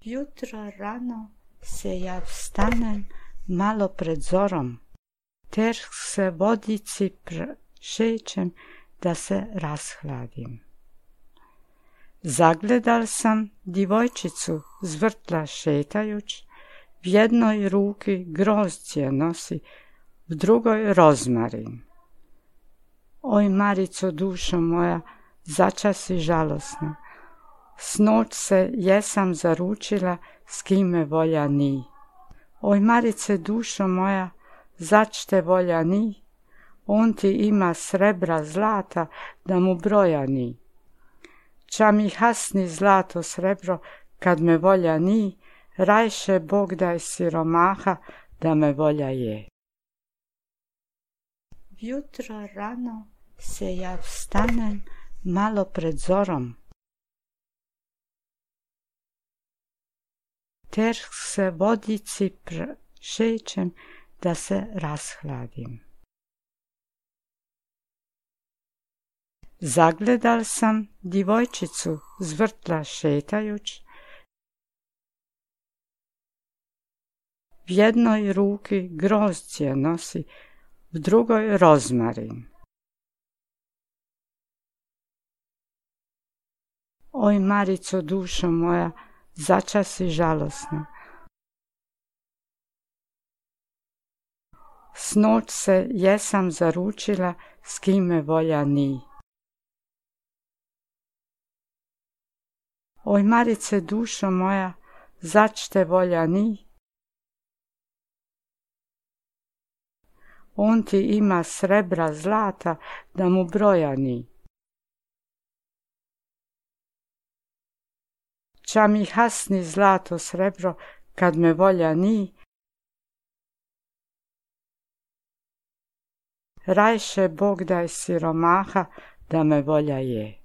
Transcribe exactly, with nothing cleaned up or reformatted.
Jutro rano se ja vstanem malo pred zorom, ter se vodici šećem da se rashladim. Zagledal sam djevojčicu z vrtla šetajuć, v jednoj ruki grozdje nosi, v drugoj rozmarin. Oj, Marico, dušo moja, začas si žalosna. Snoć se jesam zaručila, s kime volja ni. Oj, Marice, dušo moja, zač te volja ni, on ti ima srebra zlata, da mu broja ni. Ča mi hasni zlato srebro, kad me volja ni, rajše Bog daj siromaha, da me volja je. Jutro rano se ja vstanem malo pred zorom, ter se vodici šećem da se rashladim. Zagledal sam djevojčicu z vrtla šetajuć, v jednoj ruki grozdje nosi, v drugoj rozmarin. Oj, Marico, dušo moja, začas si žalosna. Snoć se jesam zaručila, s kime volja ni. Oj, Marice, dušo moja, zač te volja ni, on ti ima srebra zlata, da mu broja ni. Ča mi hasni zlato srebro, kad me volja ni, rajše Bog daj siromaha, da me volja je.